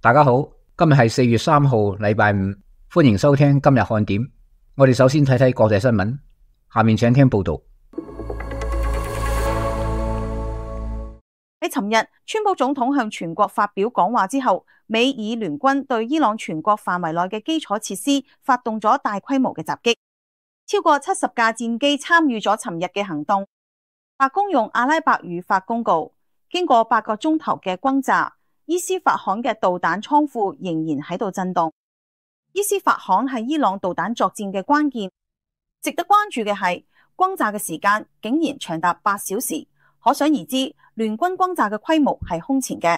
大家好，今日係4月3號，禮拜五，歡迎收聽今日看點。我哋首先睇睇國際新聞，下面請聽報道。喺尋日，川普總統向全國發表講話之後，美以聯軍對伊朗全國範圍內嘅基礎設施發動咗大規模嘅襲擊，超過70架戰機參與咗尋日嘅行動。白宮用阿拉伯語發公告，經過8個鐘頭嘅轟炸，伊斯法罕嘅導彈倉庫仍然喺度震動。伊斯法罕係伊朗導彈作戰嘅關鍵，值得關注嘅係轟炸嘅時間竟然長達8小時，可想而知聯軍轟炸嘅規模係空前嘅。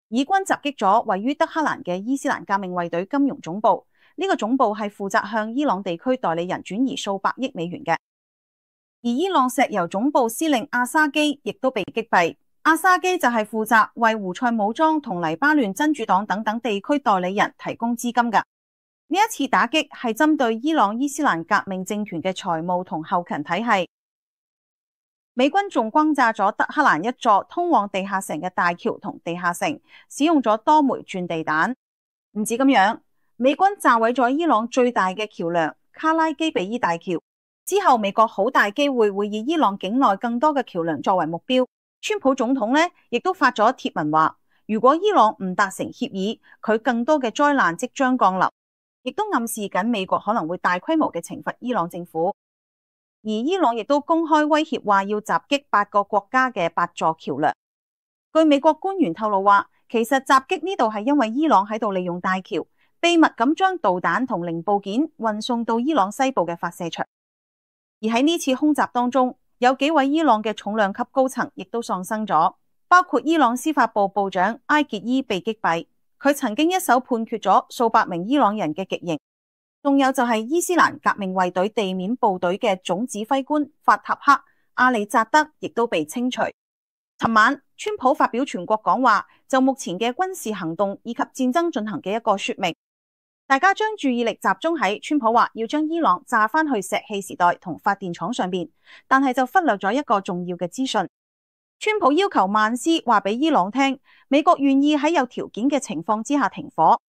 以軍襲擊咗位於德黑蘭嘅伊斯蘭革命衛隊金融總部，呢個總部係負責向伊朗地區代理人轉移數百億美元嘅。而伊朗石油總部司令阿沙基亦都被擊斃。阿沙基就係負責為胡塞武裝同黎巴嫩真主黨等等地區代理人提供資金㗎。呢一次打擊係針對伊朗伊斯蘭革命政權嘅財務同後勤體系。美軍仲轟炸咗德黑蘭一座通往地下城嘅大橋同地下城，使用咗多枚鑽地彈。唔止咁樣，美軍炸毀咗伊朗最大嘅橋樑卡拉基比伊大橋。之後美國好大機會會以伊朗境內更多嘅橋樑作為目標。川普總統呢亦都發咗貼文話，如果伊朗唔達成協議，佢更多嘅災難即將降臨，亦都暗示緊美國可能會大規模嘅懲罰伊朗政府。而伊朗亦都公開威脅話要襲擊8個國家嘅8座橋樑。據美國官員透露話，其實襲擊呢度係因為伊朗喺度利用大橋，秘密咁將導彈同零部件運送到伊朗西部嘅發射場。而喺呢次空襲當中，有幾位伊朗嘅重量級高層亦都喪生咗，包括伊朗司法部部長埃傑伊被擊斃，佢曾經一手判決咗數百名伊朗人嘅極刑。仲有就係伊斯蘭革命衛隊地面部隊嘅總指揮官法塔赫·阿里扎德亦都被清除。尋晚，川普發表全國講話，就目前嘅軍事行動以及戰爭進行嘅一個說明。大家將注意力集中喺川普話要將伊朗炸返去石器時代同發電廠上邊，但係就忽略咗一個重要嘅資訊。川普要求曼斯話俾伊朗聽，美國願意喺有條件嘅情況之下停火。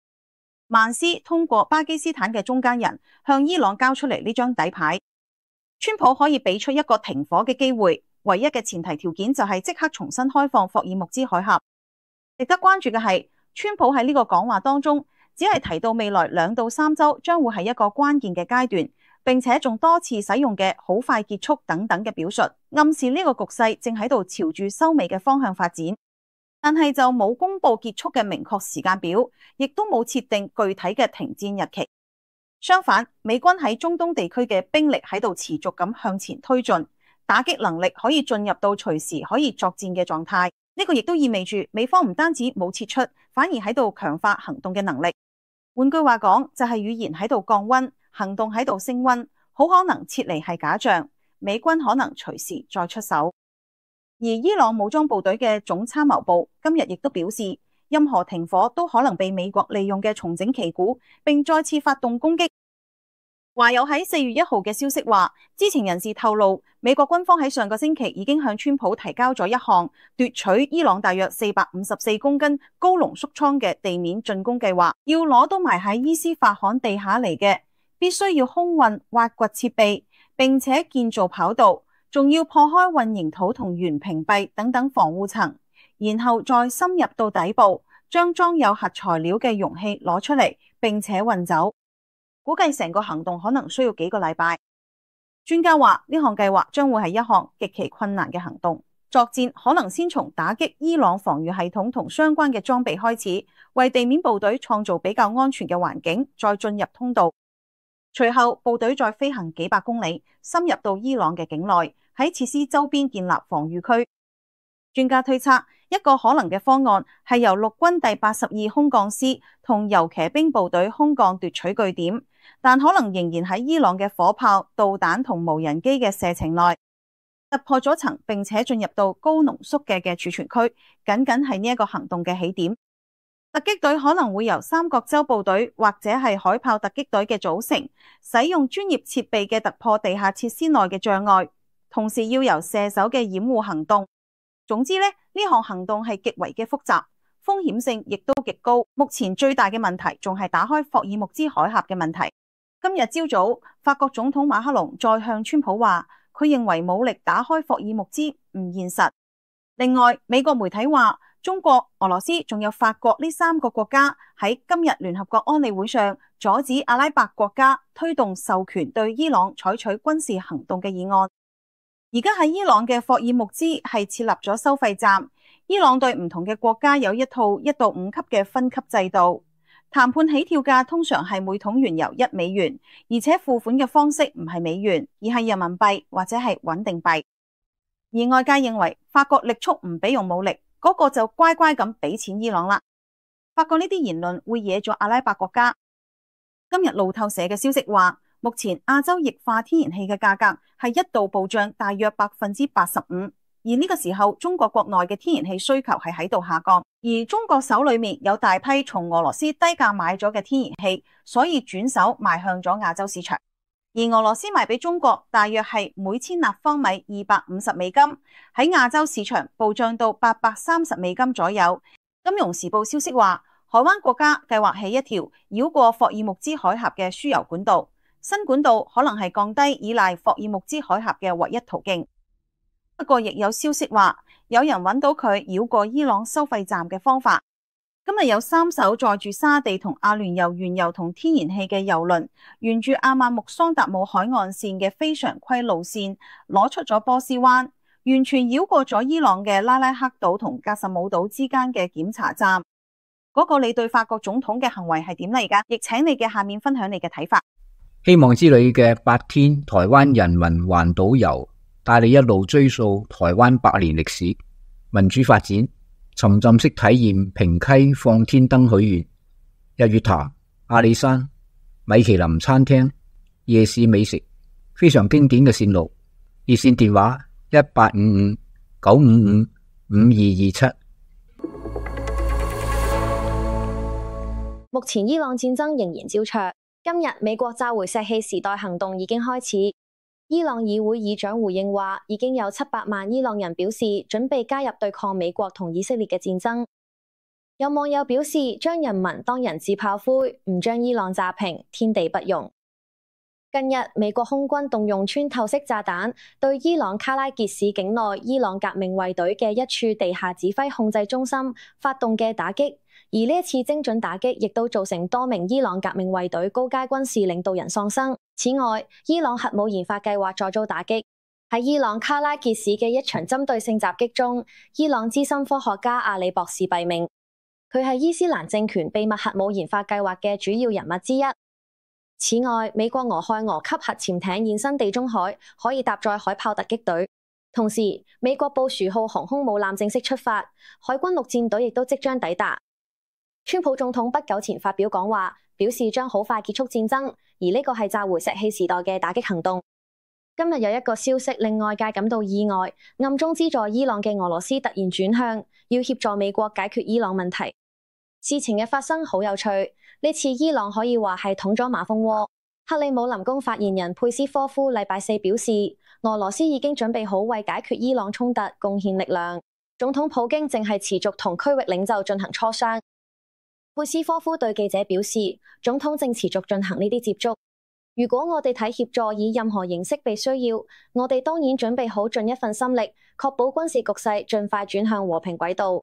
曼斯通過巴基斯坦嘅中間人向伊朗交出嚟呢張底牌，川普可以俾出一個停火嘅機會，唯一嘅前提條件就係即刻重新開放霍爾木茲海峽。值得關注嘅係，川普喺呢個講話當中只係提到未來2到3週將會係一個關鍵嘅階段，並且仲多次使用嘅好快結束等等嘅表述，暗示呢個局勢正喺度朝住收尾嘅方向發展。但係就冇公布結束嘅明確時間表，亦都冇設定具體嘅停戰日期。相反，美軍喺中東地區嘅兵力喺度持續咁向前推進，打擊能力可以進入到隨時可以作戰嘅狀態。呢個亦都意味住美方唔單止冇撤出，反而喺度強化行動嘅能力。換句話講，就係語言喺度降溫，行動喺度升溫，好可能撤離係假象，美軍可能隨時再出手。而伊朗武裝部隊嘅總參謀部今日亦都表示，任何停火都可能被美國利用嘅重整旗鼓，並再次發動攻擊。華有喺4月1號嘅消息話，知情人士透露，美國軍方喺上個星期已經向川普提交咗一項奪取伊朗大約454公斤高濃縮倉嘅地面進攻計劃，要攞到埋喺伊斯法罕地下嚟嘅，必須要空運挖掘設備，並且建造跑道。仲要破開混凝土同圓屏蔽等等防護層，然後再深入到底部，將裝有核材料嘅容器攞出嚟，並且運走。估計成個行動可能需要幾個禮拜。專家話呢項計劃將會係一項極其困難嘅行動，作戰可能先從打擊伊朗防禦系統同相關嘅裝備開始，為地面部隊創造比較安全嘅環境，再進入通道。隨後部隊再飛行幾百公里，深入到伊朗嘅境內，喺設施周邊建立防禦區。專家推測，一個可能嘅方案係由陸軍第82空降師同遊騎兵部隊空降奪取據點，但可能仍然喺伊朗嘅火炮、導彈同無人機嘅射程內，突破咗層並且進入到高濃縮嘅儲存區，僅僅係呢一個行動嘅起點。突擊隊可能會由三角洲部隊或者係海豹突擊隊嘅組成，使用專業設備嘅突破地下設施內嘅障礙，同時要由射手嘅掩護行動。總之呢項行動係極為嘅複雜，風險性亦都極高。目前最大嘅問題仲係打開霍爾木茲海峽嘅問題。今日朝早，法國總統馬克龍再向川普話，佢認為武力打開霍爾木茲唔現實。另外，美國媒體話，中國、俄羅斯仲有法國呢3個國家喺今日聯合國安理會上阻止阿拉伯國家推動授權對伊朗採取軍事行動嘅議案。而家喺伊朗嘅霍爾木茲係設立咗收費站，伊朗對唔同嘅國家有一套1到5級嘅分級制度。談判起跳價通常係每桶原油1美元，而且付款嘅方式唔係美元，而係人民幣或者係穩定幣。而外界認為法國力促唔俾用武力，嗰個就乖乖咁俾錢伊朗啦。法國呢啲言論會惹咗阿拉伯國家。今日路透社嘅消息話，目前亞洲液化天然氣嘅價格係一度暴漲大約85%，而呢個時候中國國內嘅天然氣需求係喺度下降，而中國手裏面有大批從俄羅斯低價買咗嘅天然氣，所以轉手賣向咗亞洲市場。而俄羅斯賣俾中國大約係每千立方米250美金，喺亞洲市場暴漲到830美金左右。金融時報消息話，海灣國家計劃起一條繞過霍爾木茲海峽嘅輸油管道，新管道可能係降低依賴霍爾木茲海峽嘅唯一途徑。不過亦有消息話，有人揾到佢繞過伊朗收費站嘅方法。今日有3艘載住沙地同阿聯酋原油同天然氣嘅油輪，沿住阿曼木桑達姆海岸線嘅非常規路線，攞出咗波斯灣，完全繞過咗伊朗嘅拉拉克島同格什姆島之間嘅檢查站。嗰個你對法國總統嘅行為係點嚟㗎？亦請你嘅下面分享你嘅睇法。希望之旅嘅8天台灣人民環島遊，帶你一路追溯台灣100年歷史、民主發展，沉浸式體驗平溪放天燈許願、日月潭、阿里山、米其林餐廳、夜市美食，非常經典嘅線路。熱線電話1855-955-5227。目前伊朗戰爭仍然膠著。今日美國召回石器時代行動已經開始。伊朗議會議長回應話，已經有700萬伊朗人表示準備加入對抗美國同以色列嘅戰爭。有網友表示，將人民當人質炮灰，唔將伊朗炸平，天地不容。近日，美國空軍動用穿透式炸彈對伊朗卡拉傑市境內伊朗革命衛隊嘅一處地下指揮控制中心發動嘅打擊，而呢一次精準打擊亦都造成多名伊朗革命衛隊高階軍事領導人喪生。此外，伊朗核武研發計劃再遭打擊。喺伊朗卡拉傑市嘅一場針對性襲擊中，伊朗資深科學家阿里博士斃命。佢係伊斯蘭政權秘密核武研發計劃嘅主要人物之一。此外，美國俄亥俄級核潛艇現身地中海，可以搭載海豹突擊隊。同時，美國布殊號航空母艦正式出發，海軍陸戰隊亦都即將抵達。川普總統不久前發表講話，表示將好快結束戰爭，而呢個係召回石器時代嘅打擊行動。今日有一個消息令外界感到意外，暗中資助伊朗嘅俄羅斯突然轉向，要協助美國解決伊朗問題。事情嘅發生好有趣，呢次伊朗可以話係捅咗馬蜂窩。克里姆林宮發言人佩斯科夫禮拜四表示，俄羅斯已經準備好為解決伊朗衝突貢獻力量。總統普京正係持續同區域領袖進行磋商。佩斯科夫對記者表示，總統正持續進行呢啲接觸。如果我哋睇協助以任何形式被需要，我哋當然準備好盡一份心力，確保軍事局勢盡快轉向和平軌道。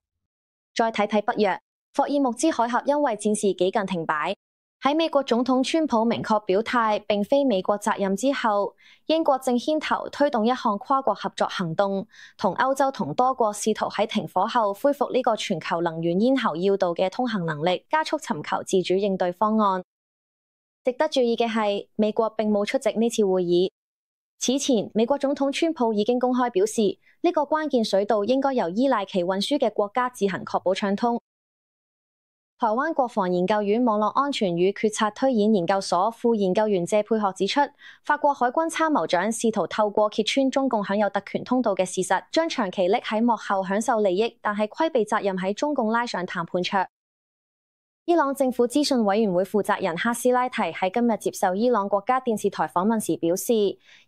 再睇睇北約，霍爾木茲海峽因為戰事幾近停擺。喺美國總統川普明確表態並非美國責任之後，英國正牽頭推動一項跨國合作行動，同歐洲同多國試圖喺停火後恢復呢個全球能源咽喉要道嘅通行能力，加速尋求自主應對方案。值得注意嘅係，美國並冇出席呢次會議。此前，美國總統川普已經公開表示，呢個關鍵水道應該由依賴其運輸嘅國家自行確保暢通。台灣國防研究院網絡安全與決策推演研究所副研究員謝佩學指出，法國海軍參謀長試圖透過揭穿中共享有特權通道嘅事實，將長期匿喺幕後享受利益，但係規避責任喺中共拉上談判桌。伊朗政府資訊委員會負責人哈斯拉提喺今日接受伊朗國家電視台訪問時表示，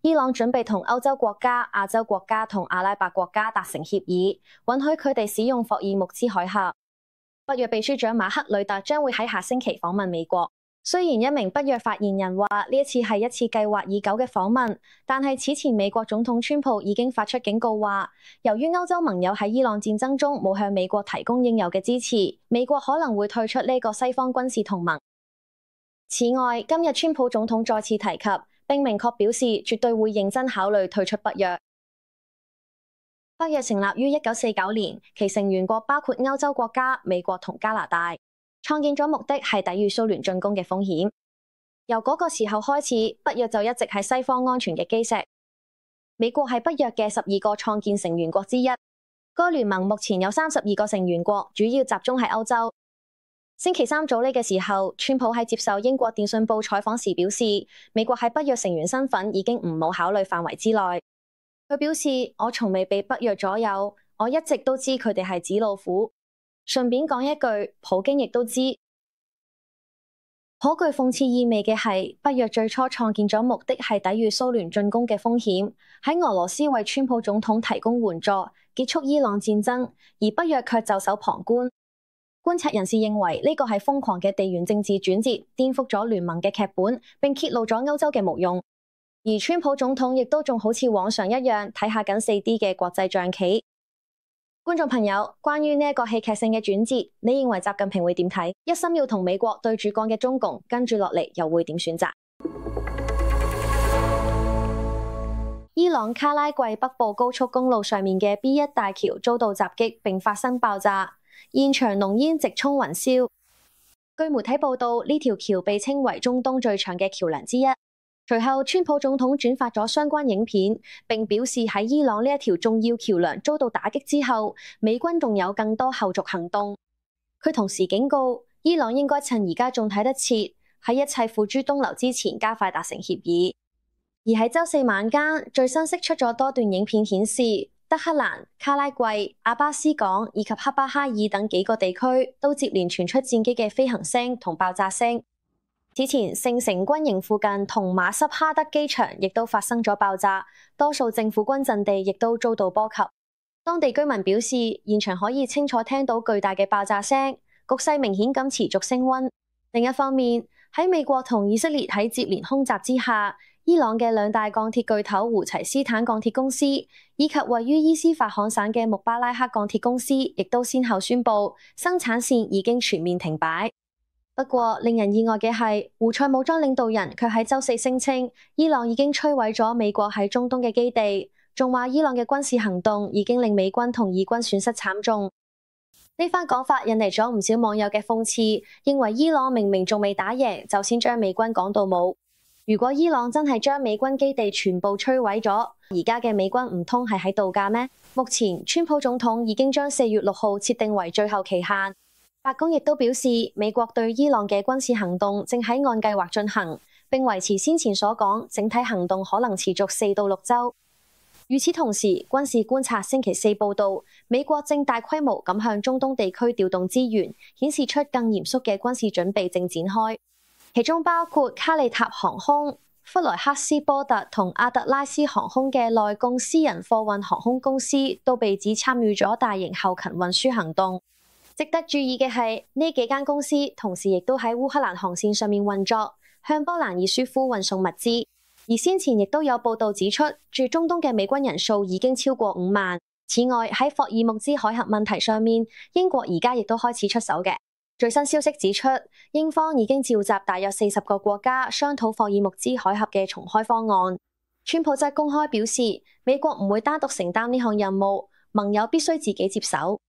伊朗準備同歐洲國家、亞洲國家同阿拉伯國家達成協議，允許佢哋使用霍爾木茲海峽。北約秘書長馬克呂特將會喺下星期訪問美國。雖然一名北約發言人話呢一次係一次計劃已久嘅訪問，但係此前美國總統川普已經發出警告話，由於歐洲盟友喺伊朗戰爭中冇向美國提供應有嘅支持，美國可能會退出呢個西方軍事同盟。此外，今日川普總統再次提及，並明確表示絕對會認真考慮退出北約。北約成立於1949年，其成員國包括歐洲國家、美國同加拿大。創建咗目的係抵禦蘇聯進攻嘅風險。由嗰個時候開始，北約就一直係西方安全嘅基石。美國係北約嘅12個創建成員國之一。該聯盟目前有32個成員國，主要集中喺歐洲。星期三早呢嘅時候，川普喺接受英國電訊報採訪時表示，美國喺北約成員身份已經唔冇考慮範圍之內。佢表示：我從未被北約左右，我一直都知佢哋係紙老虎。順便講一句，普京亦都知。頗具諷刺意味嘅係，北約最初創建咗目的係抵禦蘇聯進攻嘅風險，喺俄羅斯為川普總統提供援助，結束伊朗戰爭，而北約卻袖手旁觀。觀察人士認為呢個係瘋狂嘅地緣政治轉折，顛覆咗聯盟嘅劇本，並揭露咗歐洲嘅無用。而川普總統亦都仲好似往常一樣睇下緊 4D 嘅國際象棋。觀眾朋友，關於呢一個戲劇性嘅轉折，你認為習近平會點睇？一心要同美國對住幹嘅中共，跟住落嚟又會點選擇？伊朗卡拉季北部高速公路上面嘅 B1 大橋遭到襲擊並發生爆炸，現場濃煙直衝雲霄。據媒體報道，呢條橋被稱為中東最長嘅橋樑之一。隨後，川普總統轉發咗相關影片，並表示喺伊朗呢一條重要橋樑遭到打擊之後，美軍仲有更多後續行動。佢同時警告，伊朗應該趁而家仲睇得切，喺一切付諸東流之前加快達成協議。而喺週四晚間，最新釋出咗多段影片顯示，德黑蘭、卡拉季、阿巴斯港以及克巴哈爾等幾個地區都接連傳出戰機嘅飛行聲同爆炸聲。此前，聖城軍營附近同馬什哈德機場亦都發生咗爆炸，多數政府軍陣地亦都遭到波及。當地居民表示，現場可以清楚聽到巨大嘅爆炸聲，局勢明顯咁持續升溫。另一方面，喺美國同以色列喺接連空襲之下，伊朗嘅兩大鋼鐵巨頭胡齊斯坦鋼鐵公司以及位於伊斯法罕省嘅穆巴拉克鋼鐵公司，亦都先後宣布生產線已經全面停擺。不過，令人意外嘅係，胡塞武裝領導人卻喺週四聲稱，伊朗已經摧毀咗美國喺中東嘅基地，仲話伊朗嘅軍事行動已經令美軍同以軍損失慘重。呢番講法引嚟咗唔少網友嘅諷刺，認為伊朗明明仲未打贏，就先將美軍講到冇。如果伊朗真係將美軍基地全部摧毀咗，而家嘅美軍唔通係喺度假咩？目前，川普總統已經將4月6號設定為最後期限。白宮亦都表示，美國對伊朗嘅軍事行動正喺按計劃進行，並維持先前所講，整體行動可能持續4到6週。與此同時，軍事觀察星期四報道，美國正大規模咁向中東地區調動資源，顯示出更嚴肅嘅軍事準備正展開。其中包括卡利塔航空、弗萊克斯波特同阿特拉斯航空嘅內供私人貨運航空公司都被指參與咗大型後勤運輸行動。值得注意嘅係，呢幾間公司同時亦都喺烏克蘭航線上面運作，向波蘭以舒夫運送物資。而先前亦都有報道指出，駐中東嘅美軍人數已經超過5萬。此外，喺霍爾木茲海峽問題上面，英國而家亦都開始出手嘅。最新消息指出，英方已經召集大約40個國家商討霍爾木茲海峽嘅重開方案。川普則公開表示，美國唔會單獨承擔呢項任務，盟友必須自己接手。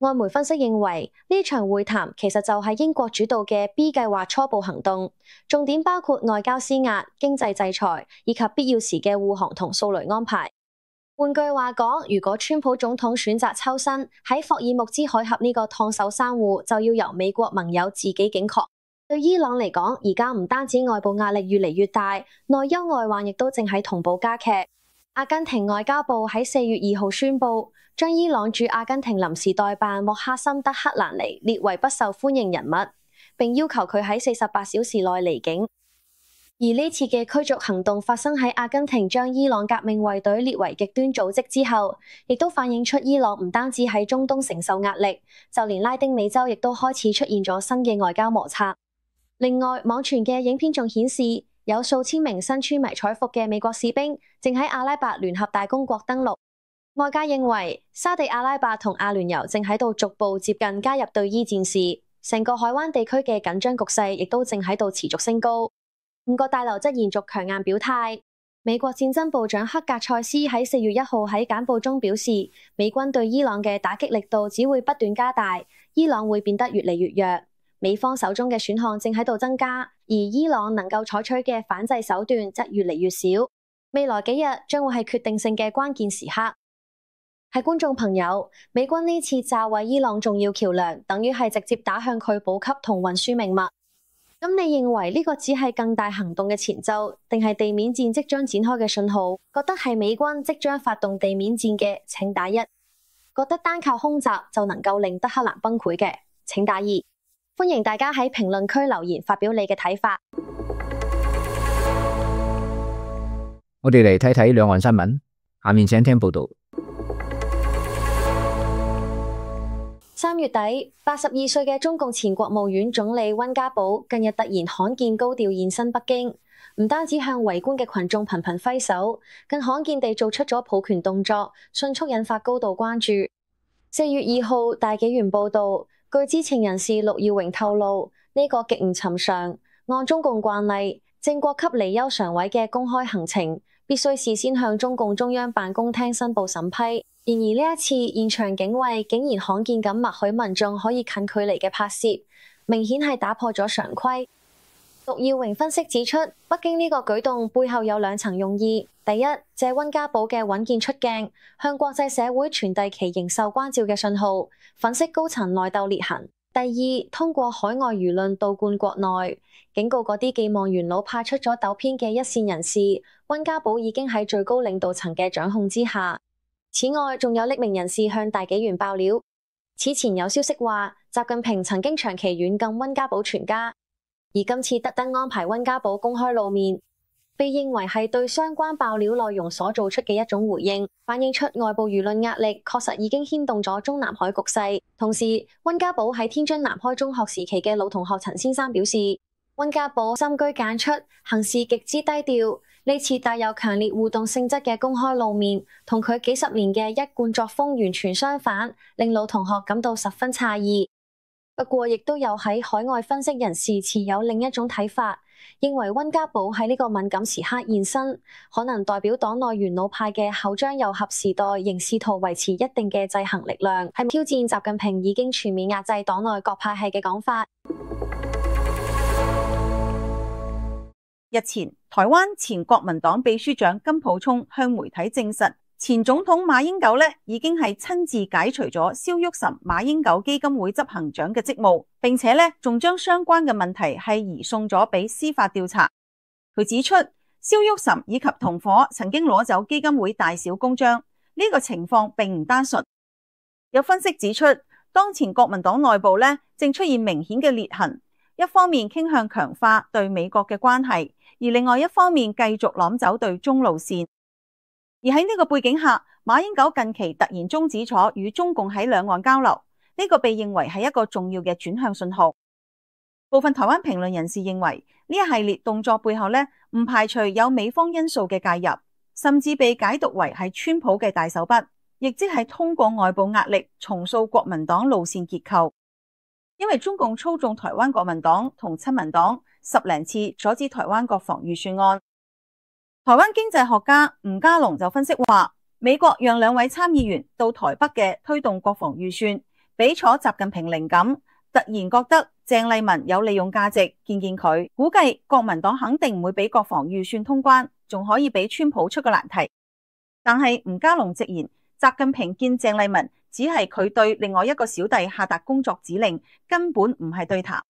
外媒分析認為，呢場會談其實就係英國主導嘅 B 計劃初步行動，重點包括外交施壓、經濟制裁以及必要時嘅護航同掃雷安排。換句話講，如果川普總統選擇抽身喺霍爾木茲海峽呢個燙手山芋，就要由美國盟友自己警覺。對伊朗嚟講，而家唔單止外部壓力越嚟越大，內憂外患亦都正喺同步加劇。阿根廷外交部喺4月2號宣布，將伊朗駐阿根廷臨時代辦莫哈森德克蘭尼列為不受歡迎人物，並要求佢喺48小時內離境。而呢次嘅驅逐行動發生喺阿根廷將伊朗革命衛隊列為極端組織之後，亦都反映出伊朗唔單止喺中東承受壓力，就連拉丁美洲亦都開始出現咗新嘅外交摩擦。另外，網傳嘅影片仲顯示，有數千名身穿迷彩服嘅美國士兵正喺阿拉伯聯合大公國登陸。外界認為，沙地阿拉伯同阿聯酋正喺度逐步接近加入對伊戰事，成個海灣地區嘅緊張局勢亦都正喺度持續升高。五角大樓則延續強硬表態。美國戰爭部長克格塞斯喺4月1號喺簡報中表示，美軍對伊朗嘅打擊力度只會不斷加大，伊朗會變得越嚟越弱。美方手中嘅選項正喺度增加，而伊朗能夠採取嘅反制手段則越嚟越少。未來幾日將會係決定性嘅關鍵時刻。係觀眾朋友，美軍呢次炸毀伊朗重要橋樑，等於係直接打向佢補給同運輸命脈。咁你認為呢個只係更大行動嘅前奏，定係地面戰即將展開嘅信號？覺得係美軍即將發動地面戰嘅，請打1；覺得單靠空襲就能夠令德黑蘭崩潰嘅，請打2。歡迎大家喺評論區留言發表你嘅睇法。我哋嚟睇睇兩岸新聞，下面請聽報道。3月底，82歲嘅中共前國務院總理溫家寶近日突然罕見高調現身北京，唔單止向圍觀嘅群眾頻頻揮手，更罕見地做出咗抱拳動作，迅速引發高度關注。4月2號，大紀元報道，據知情人士陸耀榮透露，呢個極唔尋常。按中共慣例，正國級離休常委嘅公開行程，必須事先向中共中央辦公廳申報審批。然而呢一次現場警衛竟然罕見咁默許民眾可以近距離嘅拍攝，明顯係打破咗常規。陸耀榮分析指出，北京呢個舉動背後有2層用意：第一，借溫家寶嘅穩健出鏡，向國際社會傳遞其仍受關照嘅信號，粉飾高層內鬥裂痕；第二，通過海外輿論倒灌國內，警告嗰啲寄望元老派出咗走偏嘅一線人士，溫家寶已經喺最高領導層嘅掌控之下。此外，仲有匿名人士向大紀元爆料，此前有消息話，習近平曾經長期軟禁溫家寶全家，而今次特登安排溫家寶公開露面，被認為係對相關爆料內容所做出嘅一種回應，反映出外部輿論壓力確實已經牽動咗中南海局勢。同時，溫家寶喺天津南開中學時期嘅老同學陳先生表示，溫家寶深居簡出，行事極之低調。呢次帶有強烈互動性質嘅公開露面，同佢幾十年嘅一貫作風完全相反，令老同學感到十分詫異。不過，亦都有喺海外分析人士持有另一種睇法，認為溫家寶喺呢個敏感時刻現身，可能代表黨內元老派嘅後張又合時代仍試圖維持一定嘅制衡力量，係挑戰習近平已經全面壓制黨內各派系嘅講法。日前，台灣前國民黨秘書長金溥聰向媒體證實，前總統馬英九已經係親自解除咗蕭旭岑馬英九基金會執行長嘅職務，並且仲將相關嘅問題係移送咗俾司法調查。佢指出，蕭旭岑以及同夥曾經攞走基金會大小公章，呢個情況並唔單純。有分析指出，當前國民黨內部正出現明顯嘅裂痕，一方面傾向強化對美國嘅關係，而另外一方面繼續攬走對中路線。而喺呢個背景下，馬英九近期突然終止咗與中共喺兩岸交流，呢個被認為係一個重要嘅轉向信號。部分台灣評論人士認為，呢一系列動作背後唔排除有美方因素嘅介入，甚至被解讀為係川普嘅大手筆，亦即係通過外部壓力重塑國民黨路線結構。因為中共操縱台灣國民黨同親民黨10多次阻止台灣國防預算案。台灣經濟學家吳家龍就分析話，美國讓2位參議員到台北嘅推動國防預算，俾咗習近平靈感，突然覺得鄭麗文有利用價值，見佢，估計國民黨肯定唔會俾國防預算通關，仲可以俾川普出個難題。但係吳家龍直言，習近平見鄭麗文只係佢對另外一個小弟下達工作指令，根本唔係對談。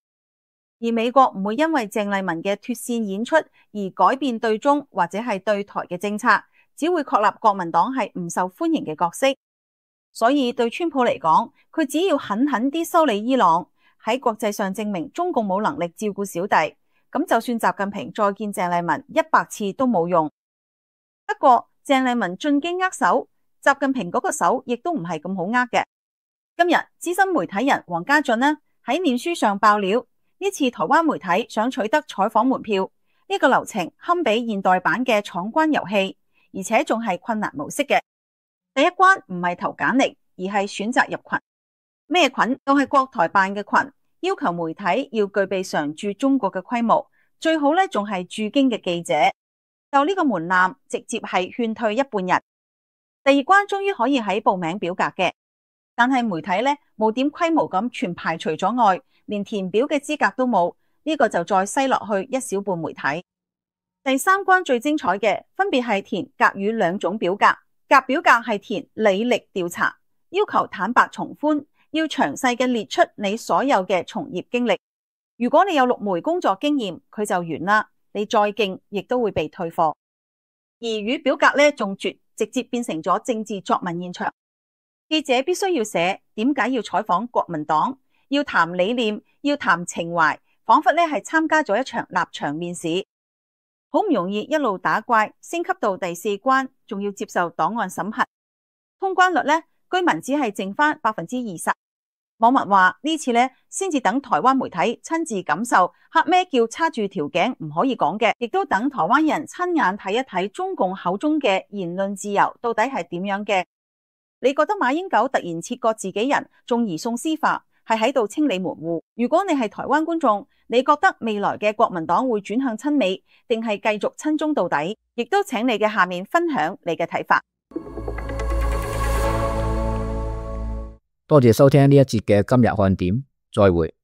而美國唔會因為鄭麗文嘅脫線演出而改變對中或者係對台嘅政策，只會確立國民黨係唔受歡迎嘅角色。所以對川普嚟講，佢只要狠狠啲修理伊朗，喺國際上證明中共冇能力照顧小弟，咁就算習近平再見鄭麗文100次都冇用。不過鄭麗文進京握手，習近平嗰個手亦都唔係咁好握嘅。今日資深媒體人黃家俊呢喺臉書上爆料，呢次台灣媒體想取得採訪門票，呢個流程堪比現代版嘅闖關遊戲，而且仲係困難模式嘅。第一關唔係投簡歷，而係選擇入群。咩群？都係國台辦嘅群，要求媒體要具備常駐中國嘅規模，最好咧仲係駐京嘅記者。就呢個門檻，直接係勸退一半人。第二關終於可以喺報名表格嘅，但係媒體咧冇點規模咁全排除咗外，連填表嘅資格都冇，呢個就再篩落去一小半媒體。第三關最精彩嘅，分別係填甲乙兩種表格。甲表格係填履歷調查，要求坦白從寬，要詳細嘅列出你所有嘅從業經歷。如果你有6枚工作經驗，佢就完啦，你再勁亦都會被退貨。而乙表格咧仲絕，直接變成咗政治作文現場。記者必須要寫點解要採訪國民黨，要談理念，要談情懷，仿佛咧係參加咗一場立場面試。好唔容易一路打怪，升級到第4關，仲要接受檔案審核。通關率呢，居民只係剩翻20%。網民話呢次呢，先至等台灣媒體親自感受黑咩叫叉住條頸唔可以講嘅，亦都等台灣人親眼睇一睇中共口中嘅言論自由到底係點樣嘅。你覺得馬英九突然切割自己人，仲移送司法，係喺度清理門戶？如果你係台灣觀眾，你覺得未來嘅國民黨會轉向親美，定係繼續親中到底？亦都請你嘅下面分享你嘅睇法。多謝收聽呢一節嘅今日看點，再會。